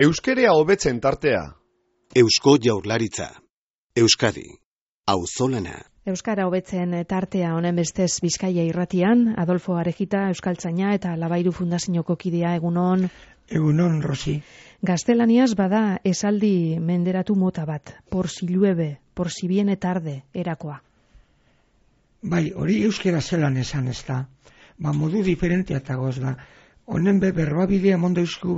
Euskerea hobetzen tartea. Eusko Jaurlaritza. Euskadi. Auzolana. Euskara hobetzen tartea honen bestez Bizkaia irratian, Adolfo Arejita, euskaltzaina eta Labairu Fundazioko kidea, egunon. Egunon, Rosi. Gaztelaniaz bada esaldi menderatu mota bat, por si llueve, por si viene tarde, erakoa. Bai, hori euskera zelan esan ez da. Modu diferentea tagoz da. Honen berbabidea mondo eusku,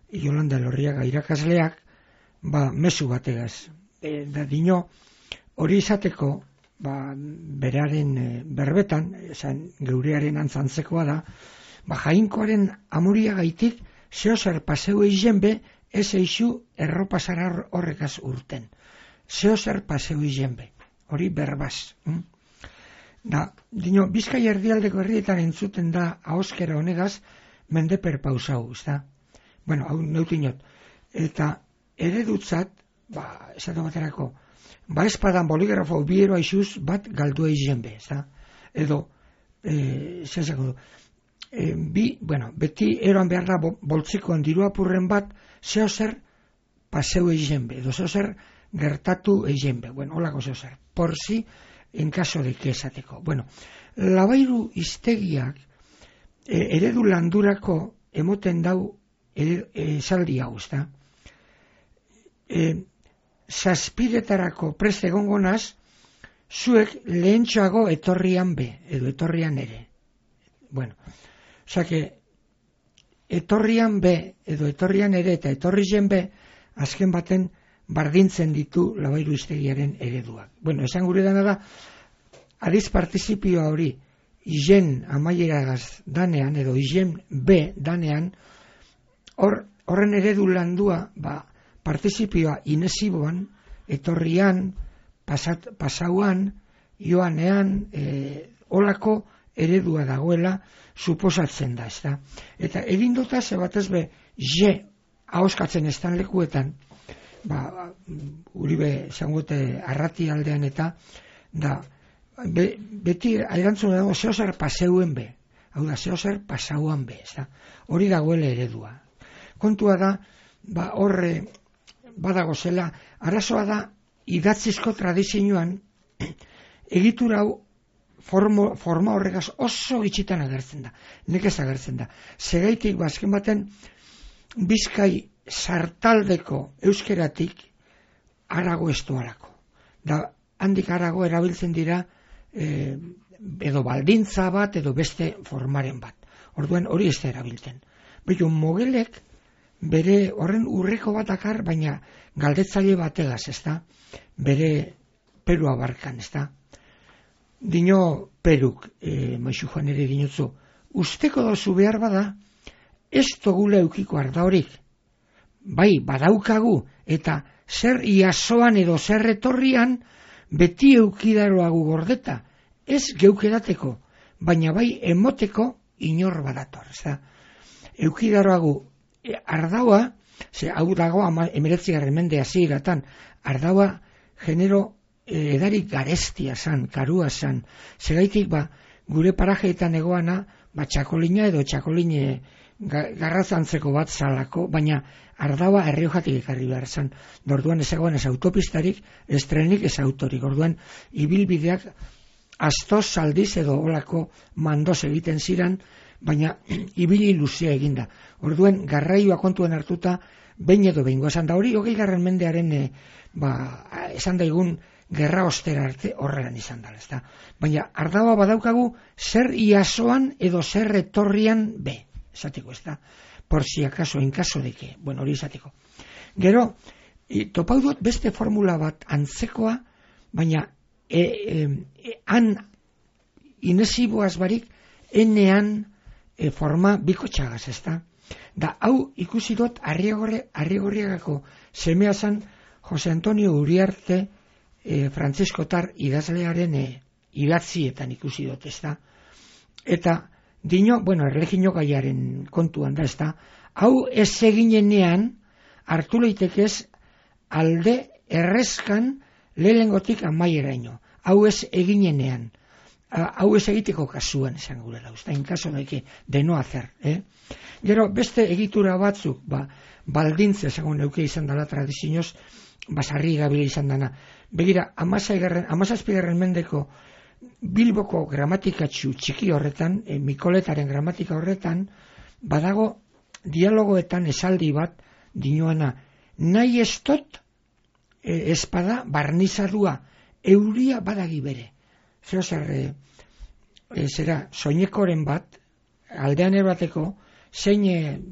Jolanda Lorriaga irakasleak, mezu bategaz. Da dino, hori izateko, beraren berbetan, esan geurearen antzantzekoa da, jainkoaren amuria gaitik, zeozer paseu eizen be, ez eixu erropasara horrekaz urten. Zeozer paseu eizen be, hori berbaz. Da, dino, Bizkaia erdialdeko herrietan entzuten da ahoskera honegaz, mendeper pausau, ez da? Bueno, hau neutinot. Eta eredutzat, esatu baterako, espadan boligrafo biero aixuz bat galdu eizen be, ez da? Edo, zezako du, beti eroan behar da boltzikoan diru apurren bat, zeozer paseu eizen be, edo zeozer gertatu eizen be. Bueno, holako zeozer. Por si, en caso de que esateko. Bueno, Labairu hiztegiak eredu landurako emoten dau esaldi hau, ezta? Zazpiretarako prest egongo naz, zuek lehentxoago etorrian be, edo etorrian ere. Bueno, osake, etorrian be, edo etorrian ere, eta etorrizen be, azken baten bardintzen ditu Labairu hiztegiaren ereduak. Bueno, esan gure dana da, adiz partizipioa hori, izen amaieragaz danean, edo izen be danean, horren eredu landua, partizipioa inesiboan, etorrian, pasauan, joanean, olako eredua dagoela, suposatzen da, ez da. Eta egin dota, zebatez be, ahoskatzen estan lekuetan, Uribe zangote arrati aldean eta da, beti erantzun dago zeozer paseuen be, hau da, zeozer pasauan be, ez da, hori dagoela eredua. Kontua da, horre badago zela, arazoa da, idatzizko tradizioan, egitura hau forma horregaz oso gitxitan agertzen da, nekez agertzen da. Segaitik, azken baten, Bizkai sartaldeko euskeratik arago estuarako. Da, handik arago erabiltzen dira edo baldintza bat edo beste formaren bat. Orduan hori ez da erabiltzen. Beto, mogelek bere horren urreko bat akar, baina galdetzaile bategaz, ez da? Bere Perua barkan, ez da? Dino Peruk, Maixu Juan ere dinotzu, usteko dozu behar bada, ez togula eukiko arda horik. Bai, badaukagu, eta zer iasoan edo zer etorrian, beti eukidaroagu gordeta, ez geukedateko, baina bai emoteko inor badator. Eukidaroagu ardaua, hau dago 19. mende hasieratan, ardaua genero edarik garestia zan, karua zan, segaitik gure parajeetan egoana, txakolina edo txakoline garrazantzeko bat zalako, baina ardaua Erriojatik ekarri behar zan. Orduan ez egoan ez autopistarik, ez trenik, ez autorik. Orduan ibilbideak astoz aldiz edo olako mandoz egiten ziren, baina ibili luzea eginda. Orduan garraioa kontuen hartuta, behin edo behingo esan da hori, 20. mendearen esan daigun gerra ostera arte horrean izan da. Baina ardaua badaukagu zer iasoan edo zer etorrian be. Esateko, ez da, por si acaso, en caso de que, bueno, hori esateko. Gero, topau dut beste formula bat antzekoa, baina han inesiboaz barik, enean forma biko txagaz, ez da. Da, hau ikusi dut Arrigorriagako semea zan Jose Antonio Uriarte frantziskotar idazlearen idatzietan ikusi dut, ez da. Eta, dino, erlegio gaiaren kontuan da, ez da, hau ez eginenean hartu leitekez alde errezkan lehengotik amaieraino. Hau ez eginenean. hau ez egiteko kasuan esan gure da, en caso de no hacer, Gero, beste egitura batzuk, baldintze, segun neuke izan dela tradizioz, basarri gabila izan dana. Begira, 17. mendeko Bilboko gramatikatxu txiki horretan, Mikoletaren gramatika horretan, badago dialogoetan esaldi bat dinoana, nahi estot espada barnizadua, euria badagi bere. Zera, soinekoren bat, aldean erbateko, zein,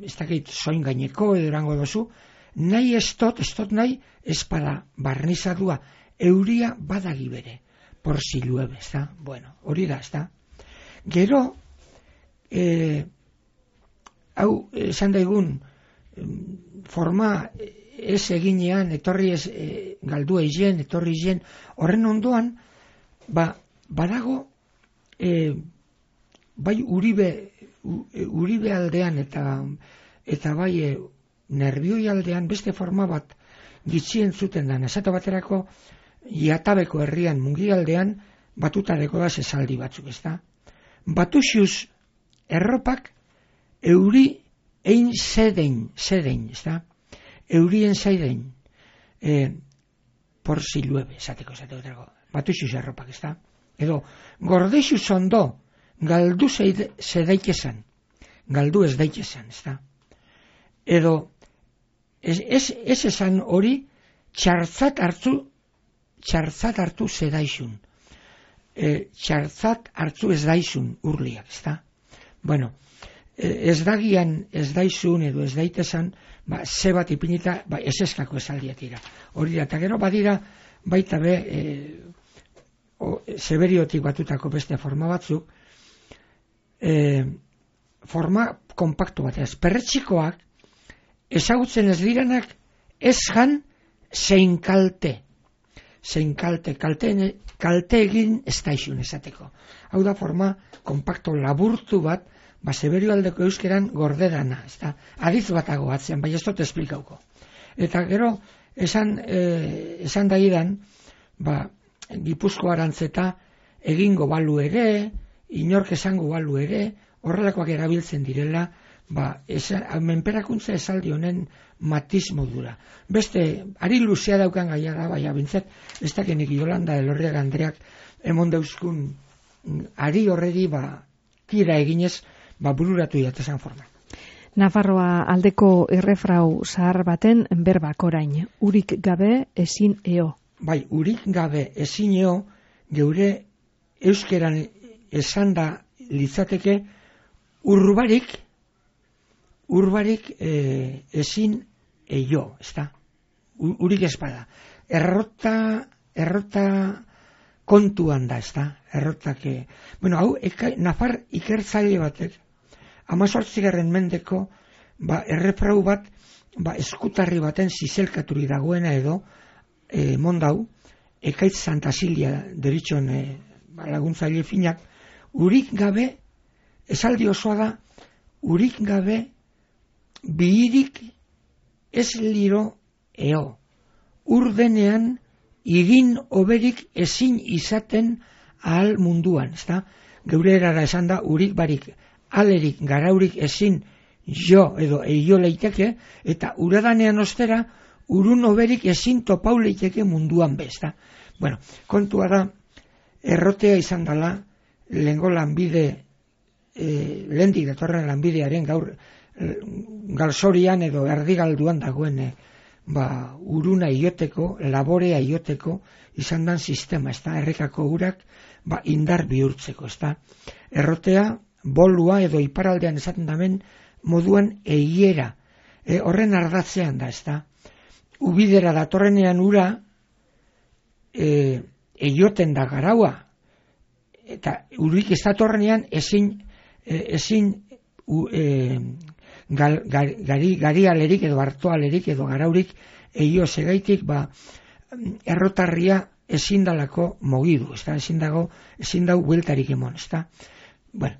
ez dakit, soin gaineko edo erango dozu, nahi estot nahi espada barnizadua, euria badagi bere. Por si llueve, ez da? Bueno, hori da, ez da? Gero, hau, esan daigun, forma ez eginean, etorri ez galdu eigen, etorri eigen, horren ondoan, badago, bai Uribe aldean eta bai Nerbioi aldean beste forma bat gitxien zuten dan. Esate baterako, Iatabeko herrian Mungialdean batutareko da esaldi batzuk, ez da? Batuxuz erropak euri ein zedein, ez da? Eurien zedein, por si llueve, esateko. Batuxuz erropak, ez da? Edo, gordexuz ondo, galdu zedaikesan, galdu ez daikesan, ez da? Edo, ez esan hori, txartzat hartu zedaizun. Txartzat hartu ez daizun urliak, ez da? Bueno, ez dagian ez daizun edo ez daitesan, ze bat ipinita, ez eskako esaldiak dira. Hori da, eta gero badira, baita be, seberiotik batutako beste forma batzuk, forma kompaktu bat, ez perretxikoak, ezagutzen ez diranak, ez jan, zein kalte. Zein kalte egin ez daizun esateko. Hau da forma kompakto laburtu bat, seberio aldeko euskeran gordedana, ez da, adiz batago atzean, bai ez dut esplikauko. Eta gero, esan daidan, Gipuzko arantzeta egingo balu ere, inork esango balu ere, horrelakoak erabiltzen direla, menperakuntza esaldi honen matiz modura. Beste, ari luzea daukan gaia da, baina bintzat, ez dakenik Yolanda Elorriaga Andreak emon dauzkun ari horreri tira eginez, bururatu jatezan forma. Nafarroa aldeko errefrau zahar baten berbak orain, urik gabe ezin eo. Bai, urik gabe ezin eo, geure euskeran esan da litzateke urbarik ezin eio, ez da? Urik espada. Errota kontuan da, ez da? Errotak, bueno, hau, Nafar ikertzaile batek, 18. mendeko, errefrau bat, eskutarri baten zizelkaturi dagoena edo, mondau, Ekaitz Santa Silia deritxon laguntzaile finak, urik gabe, esaldi osoa da, urik gabe, bihirik ez liro eo. Urdenean, igin oberik ezin izaten ahal munduan, ez da? Geure erara esan da, urik barik, alerik, garaurik ezin jo edo eio leiteke, eta uradanean ostera, urun oberik ezin topau leiteke munduan bez, da? Bueno, kontua da, errotea izan dela, lehengo lanbide, lehendik datorren lanbidearen gaur, galzorian edo erdigalduan dagoen, uruna ioteko, laborea ioteko, izan dan sistema, ez da? Errekako urak, indar bihurtzeko, ez da? Errotea, bolua edo iparaldean esaten damen, moduan eiera, horren ardatzean da, ez da? Ubidera datorrenean ura, eioten da garaua, eta urik ez datorrenean ezin garialerik edo hartoalerik edo garaurik eio segaitik errotarria ezin dalako mogidu, ez da? Ezin dau bueltarik emon, ez da? Bueno,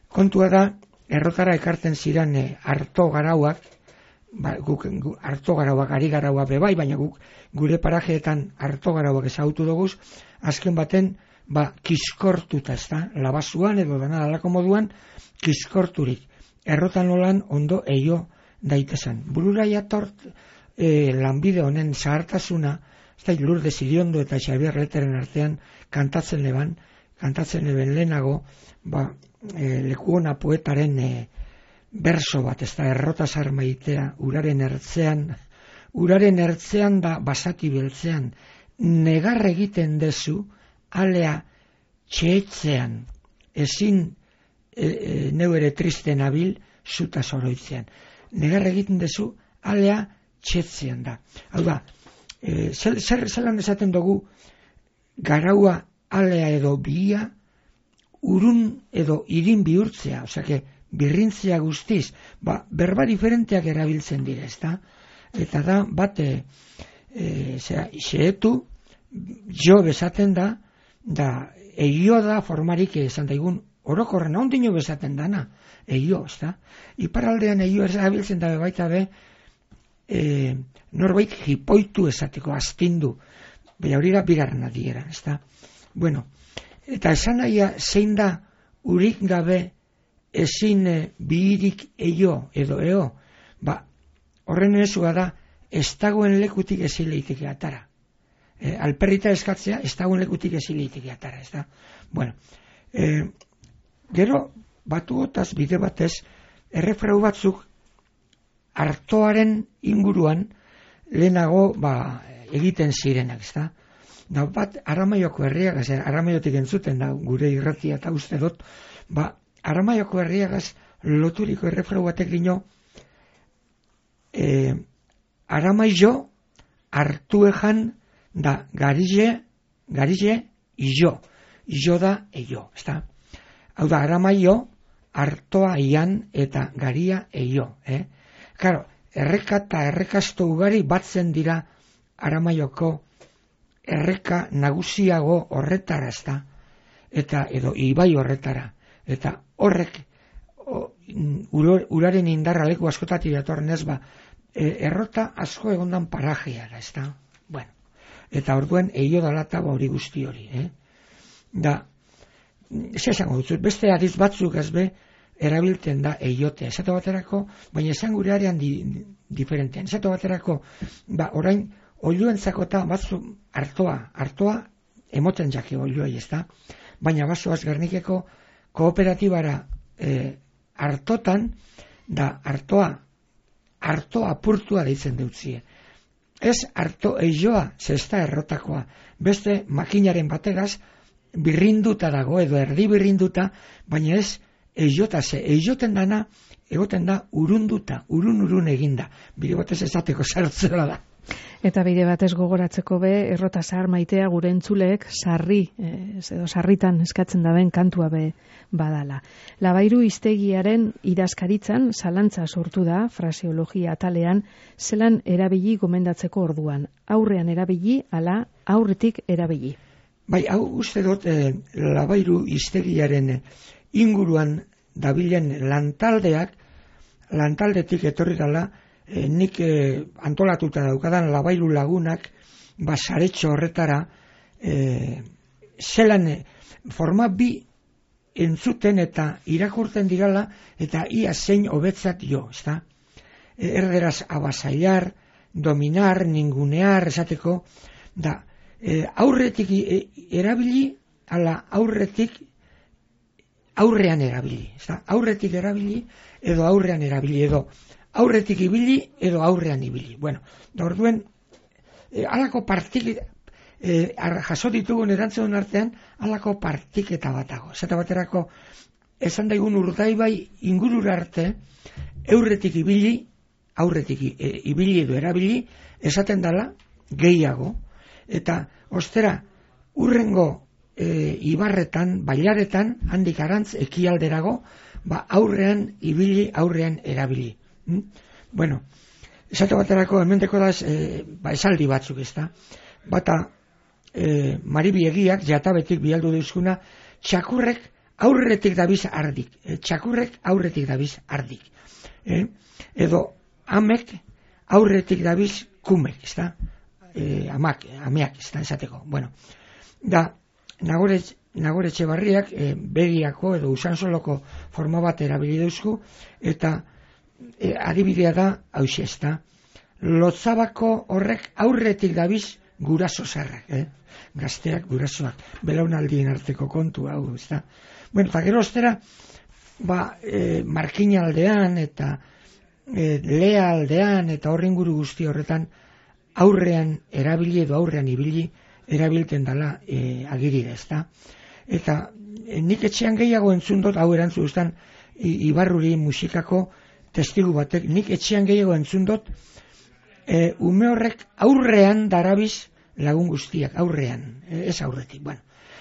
kontua da, errotara ekarten ziren harto garauak, harto garauak, ari garauak bebai, baina guk gure parajeetan harto garauak ezagutu duguz, azken baten kiskortuta, ezta, labasuan edo dana alako moduan, kiskorturik, errotan olan ondo eio daitezen. Burura jatort lanbide honen zahartasuna, Lourdes Iriondo eta Xabier Leteren artean kantatzen leben lehenago, Lekuona poetaren berso bat, ez da, errotasar maitea, uraren ertzean da basati beltzean, negar egiten dezu, alea txeetzean, ezin neu ere triste nabil, zuta zoroitzean. Negar egiten dezu, alea txeetzean da. Hau da, zelan esaten dugu, garaua alea edo bia, urun edo irin bihurtzea, osea, birrintzea guztiz, berba diferenteak erabiltzen dira, ezta? Eta da, bat, xeetu, jo bezaten da, eio da formarik esan daigun, orokorren ondino bezaten dana, eio, ezta? Iparaldean eio erabiltzen da baita be, norbait jipoitu esateko, astindu, baina hori da bigarren adiera, ezta? Bueno, eta esan nahia zein da urik gabe ezin bihirik eio edo eo, horren ezua da, ez dagoen lekutik ezin leiteke atara. Alperrita eskatzea, ez dagoen lekutik ezin leiteke atara, ez da? Bueno, gero, batuotaz, bide batez, errefrau batzuk, artoaren inguruan, lehenago, egiten zirenak, ez da? Da, bat, Aramaioko herriagaz, Aramaiotik entzuten da, gure irratia eta uste dut, Aramaioko herriagaz loturiko errefrau batek gino, Aramaio hartuejan da garize izo da eio, ezta? Hau da, Aramaio hartoa ian eta garia eio, Karo, erreka eta errekasto ugari batzen dira Aramaioko erreka nagusiago horretara, ezta? Eta edo ibai horretara, eta horrek uraren indarra leku askotatik datorren ez errota asko egondan parajeara, ezta? Bueno, eta orduen eio dalata hori guzti hori, Da, ez esango dut, beste adiz batzuk ezbe erabiltzen da eiotea, esate baterako, baina esan gure arean diferentean, esate baterako, orain, oiluentzako eta batzu hartoa emoten jake oiluai, ezta? Baina bazoaz Gernikeko kooperatibara hartotan, da hartoa apurtua deitzen deutzie. Ez harto eioa, zesta errotakoa, beste makinaren bategaz birrinduta dago, edo erdi birrinduta, baina ez eiota, eioten dana, egoten da urun eginda. Bide batez esateko sartzera da. Eta bide batez gogoratzeko be, errota zahar maitea gure entzuleek sarritan eskatzen daben kantua be badala. Labairu hiztegiaren idazkaritzan zalantza sortu da, fraseologia atalean, zelan erabili gomendatzeko orduan. Aurrean erabili, ala aurretik erabili. Bai, hau uste dut labairu hiztegiaren inguruan dabilen lantaldetik etorri dela, nik antolatuta daukadan labairu lagunak saretxo horretara zelan forma bi entzuten eta irakurten dirala eta ia zein hobetzat jo, ezta? Erderaz abasaiar, dominar, ningunear, esateko, da aurretik erabili, ala aurrean erabili, ezta? Aurretik erabili edo aurrean erabili edo aurretik ibili edo aurrean ibili. Bueno, da orduen, alako jaso ditugun erantzun artean, alako partiketa batago. Zeta baterako, esan daigun Urdaibai ingurura arte, aurretik ibili edo erabili, esaten dala gehiago, eta ostera, urrengo ibarretan, bailaretan, handik arantz, ekialderago, aurrean ibili, aurrean erabili. Bueno, esate baterako hementeko da esaldi batzuk, ezta? Bata maribiegiak jatabetik bialdu deuzkuna, txakurrek aurretik dabiz ardik. Txakurrek aurretik dabiz ardik. Edo amek aurretik dabiz kumek, ezta? Ameak, ezta, esateko. Bueno, da, Nagore Etxebarriak begiako edo usansoloko forma bat erabili dauzku, eta adibidea da hauxe, ezta. Lotzabako horrek aurretik dabiz guraso zarrak, gazteak gurasoak, belaunaldien arteko kontu hau, ezta. Bueno, eta gero ostera, Markina aldean eta Lea aldean eta horringuru guzti horretan aurrean erabili edo aurrean ibili erabilten dela agirira, ezta. Eta nik etxean gehiago entzun dut, hau erantzu guztan Ibarruri musikako testigu batek, nik etxean gehiago entzun dut, ume horrek aurrean darabiz lagun guztiak, aurrean, ez aurretik. Bueno,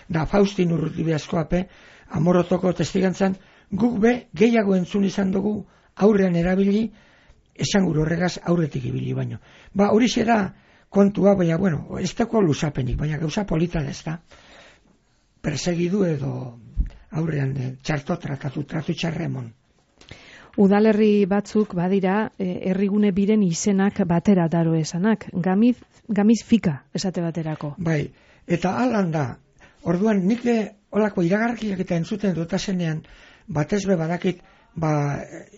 da Faustin Urrutibeazkoape Amorotoko testigantzan, guk be gehiago entzun izan dugu aurrean erabili, esan gure horregaz aurretik ibili baino. Horixe da kontua, baina, bueno, ez dako luzapenik, baina gauza polita da, ez da. Persegidu edo aurrean tratu txarremon. Udalerri batzuk badira herrigune biren izenak batera daro esanak, gamiz fika esate baterako. Bai, eta alan da, orduan nik olako iragarkiak eta entzuten dutasenean, batez be badakit,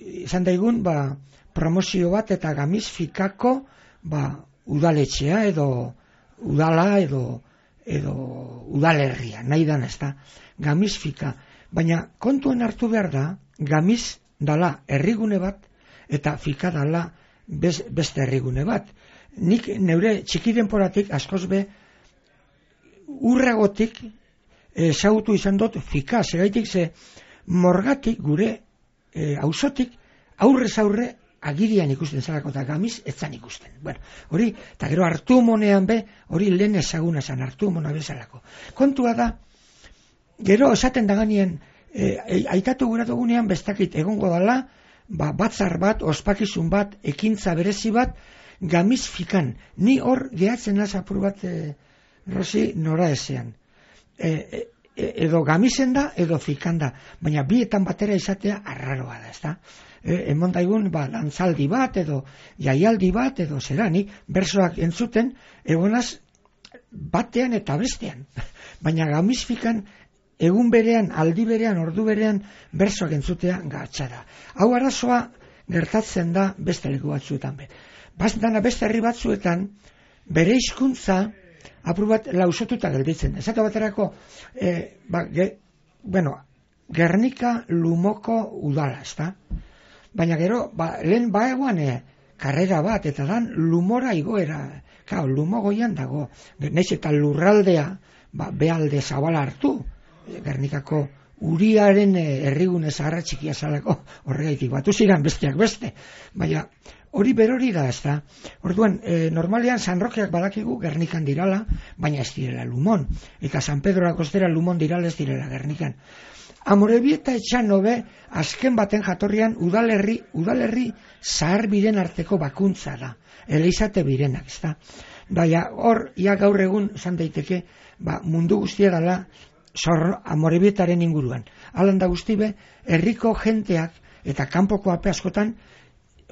izan daigun, promozio bat eta gamiz fikako, udaletxea edo udala edo udalerria, nahi dan ez da, gamiz fika. Baina kontuen hartu behar da, gamiz dala herrigune bat eta fika dala beste herrigune bat. Nik neure txiki denporatik askoz be urragotik ezagutu izan dut fika, segaitik ze morgatik gure auzotik aurrez aurre agirian ikusten zelako eta gamiz etzan ikusten. Bueno, hori, eta gero Artumonean be, hori lehen ezaguna zan, Artumona bezalako. Kontua da, gero esaten daganien, aitatu gura dugunean bestakit egongo dala, batzar bat, ospakizun bat, ekintza berezi bat, gamiz fikan. Ni hor gehatzen naz apur bat, Rosi, nora ezean. Edo gamizen da, edo fikan da. Baina bietan batera izatea arraroa da, ezta? Emon daigun, dantzaldi bat, edo jaialdi bat, edo zerani, bersoak entzuten, egonaz batean eta bestean. Baina gamiz fikan, egun berean, aldi berean, ordu berean, bersoak entzutea gatxara. Hau arazoa gertatzen da beste leku batzuetan be. Beste herri batzuetan, bere hizkuntza apur bat lausotuta gelditzen. Esate baterako, Gernika Lumoko udala, ezta? Baina gero, lehen baegoan karrera bat, eta dan Lumora igoera. Lumo goian dago. Naiz eta lurraldea, behalde zabala hartu. Gernikako Uriaren herrigune zaharra txikia zalako horregaitik batu ziren besteak beste. Baina hori berori da, ez da. Orduan, normalean San Rokeak badakigu Gernikan dirala, baina ez direla Lumon. Eta San Pedro Kostera Lumon dirala ez direla Gernikan. Amorebieta etxano be, azken baten jatorrian udalerri zahar biren arteko bakuntza da. Eleizate birenak, ez da. Baina hor, ia gaur egun zan daiteke, mundu guztia dela Amorebietaren inguruan. Alan da guzti be, herriko jenteak eta kanpoko ape askotan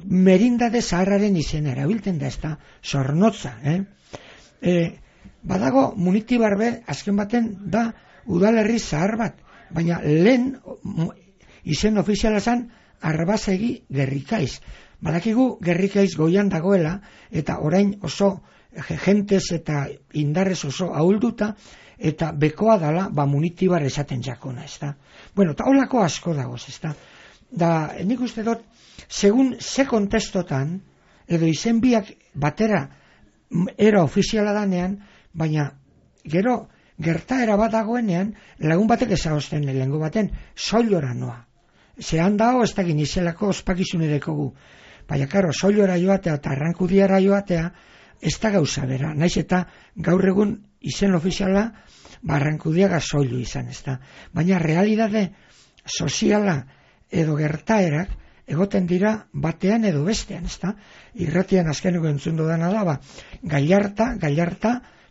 merindade zaharraren izena erabiltzen da, ez da, zornotza. Badago Munitibar be, azken baten da udalerri zahar bat, baina lehen izen ofiziala zan Arbazegi Gerrikaiz. Badakigu Gerrikaiz goian dagoela, eta orain oso jentez eta indarrez oso ahulduta, eta bekoa dala, Munitibar esaten jakona, ez da. Bueno, eta holako asko dagoz, ez da. Da, nik uste dut, segun ze kontestotan, edo izen biak batera era ofiziala danean, baina gero gertaera bat dagoenean, lagun batek ezagozten lehengo baten, soilora noa. Zehan dago, ez da ginizelako ospakizune dekogu. Baina, karo, soilora joatea eta Arrankudiara joatea, ez da gauza bera. Naiz eta gaur egun izen ofiziala, Arrankudiaga soilu izan, ez da. Baina realidade soziala edo gertaerak egoten dira batean edo bestean, ez da. Irratian azkeneko entzun dudana da, Gallarta,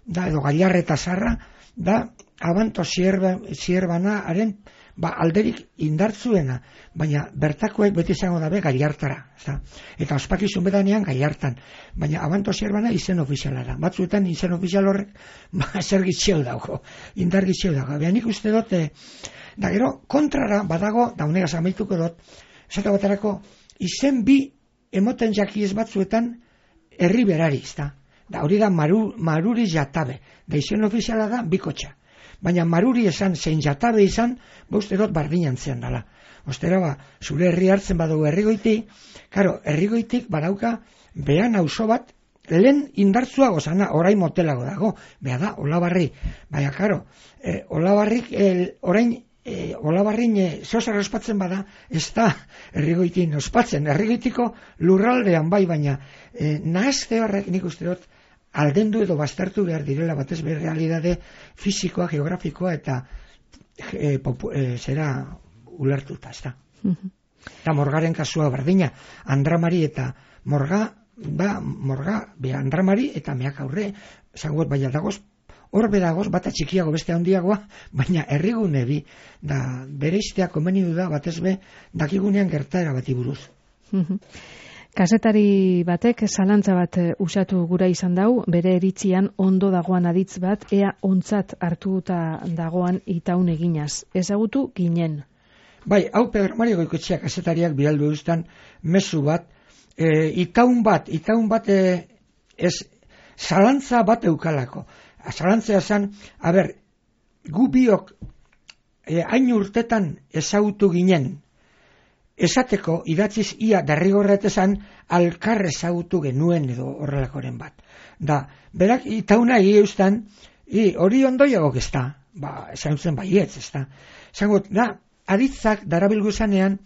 da, edo Gallarreta zarra, da, Abanto Zierbanaren alderik indartzuena, baina bertakoek beti izango dabe Gallartara, ezta? Eta ospakizun bedanean Gallartan, baina Abanto Zierbana izen ofiziala da. Batzuetan izen ofizial horrek zer gitxeu dago, indar gitxeu dago. Behan ikuste dut, da gero kontrara badago, da honegaz amaituko dut, esate baterako izen bi emoten jakiez batzuetan herri berari, ezta? Da hori da maruri jatabe, da izen ofiziala da bikotxa. Baina maruri esan, zein jatabe izan, uste dut bardinan zean dela. Ostera, zure herri hartzen badugu Herrigoiti, karo, Herrigoitik badauka behan auzo bat, lehen indartzuago zana, orain motelago dago, beha da, Olabarri. Baina, karo, Olabarrik, orain, Olabarrin zeozer ospatzen bada, ez da Herrigoitin ospatzen. Herrigoitiko lurraldean bai, baina nahazte horrek nik uste dut, aldendu edo baztertu behar direla batez behar realidade fisikoa, geografikoa eta zera ulertuta, ez da. Eta Morgaren kasua berdina, Andramari eta Morga, Andramari eta meak aurre, zangot baina dagoz, hor bedagoz, bata txikiago beste handiagoa, baina herrigune bi, da bere iztea komeni du da batez be, dakigunean gertaera bati buruz. Kazetari batek zalantza bat usatu gura izan dau, bere eritzian ondo dagoan aditz bat, ea ontzat hartuta dagoan itaun eginaz. Ezagutu ginen. Bai, hau Pedro Mario Goikoetxea kazetariak bidaldu eustan mezu bat, itaun bat, zalantza bat eukalako. Zalantzea zen, gu biok hain urtetan ezagutu ginen, esateko idatziz ia derrigorretezan alkar ezagutu genuen edo horrelakoren bat. Da, berak itauna eustan, hori ondoiagok ez da, esan zen baietz ez da. Zangot, aditzak darabilgu zanean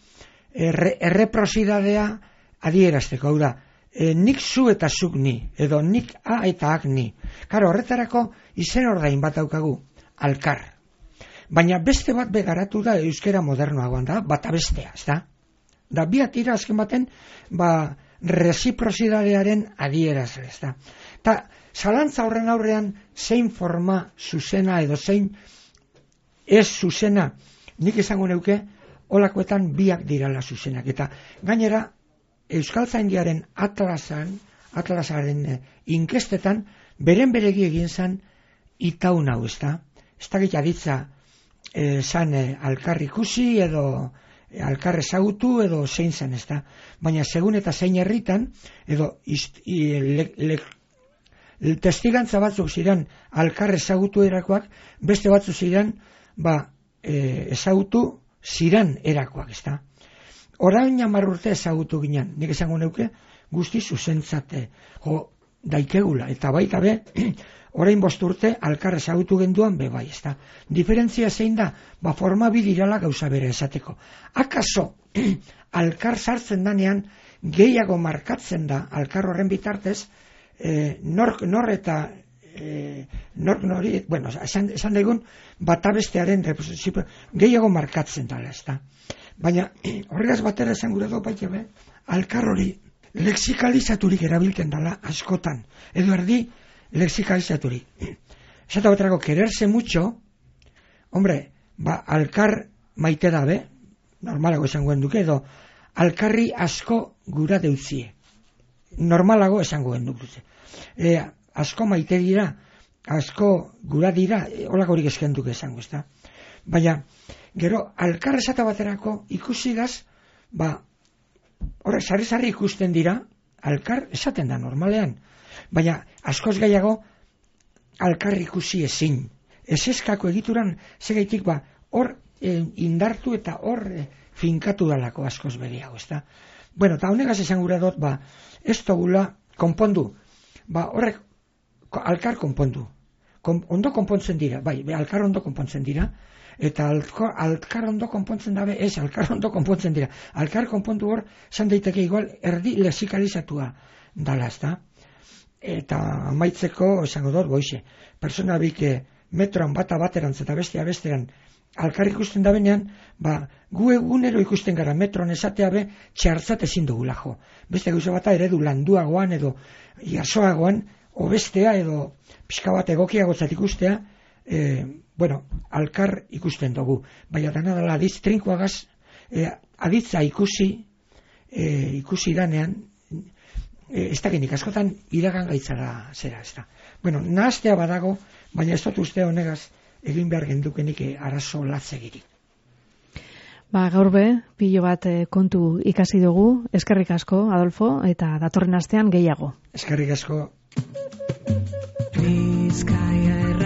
erreprosidadea adierazteko, hau da, nik zu eta zuk ni, edo nik a eta ak ni. Karo, horretarako izen ordain bat daukagu, alkar. Baina beste bat begaratu da euskera modernoagoan da, bata bestea, ez da? Da biak dira azken baten, resiprosidadearen adieraz, ez da. Ta, zalantza horren aurrean, zein forma zuzena edo zein ez zuzena, nik esango neuke, holakoetan biak dirala zuzenak. Eta gainera, Euskaltzaindiaren atlasaren inkestetan, beren beregi egin zan itaun hau, ez da. Ez da aditza zan alkar ikusi edo alkar ezagutu edo zein zen, ez da. Baina segun eta zein herritan, edo testigantza batzuk ziren alkar ezagutu erakoak, beste batzuk ziren ezagutu ziren erakoak, ez da. Orain 10 urte ezagutu ginen, nik esango neuke, guzti zuzentzate daikegula, eta baita be, orain 5 urte alkar ezagutu genduan bai, ez da. Diferentzia zein da, forma bidirala gauza bere esateko. Akaso, alkar sartzen danean, gehiago markatzen da, alkar horren bitartez, nor eta nork nori, esan daigun, bata bestearen gehiago markatzen dala, ez da. Baina, horregaz batera esan gure do baita be, alkar hori lexikalizaturik erabilten dala askotan, edo erdi lexikalizaturik. Esata baterako, quererse mucho, hombre, alkar maite dabe, normalago esango duke, edo alkarri asko gura deutzie. Normalago esango duke. Asko maite dira, asko gura dira, holakorik eskenduke esango, ez da. Baina, gero, alkar esata baterako ikusigaz, horrek sarri ikusten dira, alkar esaten da normalean. Baina, askoz gehiago, alkar ikusi ezin. Ezeskako egituran, segaitik hor indartu eta hor finkatu dalako askoz begiago, ez da. Bueno, eta honegaz esan gura dut, ez togula konpondu. Horrek, alkar konpondu. Ondo konpontzen dira, alkar ondo konpontzen dira, eta alkar ondo konpontzen dabe, alkar ondo konpontzen dira. Alkar konpondu hor, zan daiteke igual, erdi lexikalizatua dala, ez da. Eta amaitzeko, esango dut, goixe, persona bik metroan bata baterantz eta bestea besteran, alkar ikusten da benean, gu egunero ikusten gara metroan esatea be, txartzat ezin dugula jo. Beste gauza bata eredu landuagoan edo jasoagoan, obestea edo pixka bat egokiagotzat ikustea, alkar ikusten dugu, baina dana dela aditz trinkoagaz, aditza ikusi danean, ez dakinik askotan iragan gaitzara zera, ez da. Nahaztea badago, baina ez dut uste honegaz egin behar gendukenik arazo latzegirik. Gaur pilo bat kontu ikasi dugu, eskerrik asko, Adolfo, eta datorren astean gehiago. Eskerrik asko. Bizkaia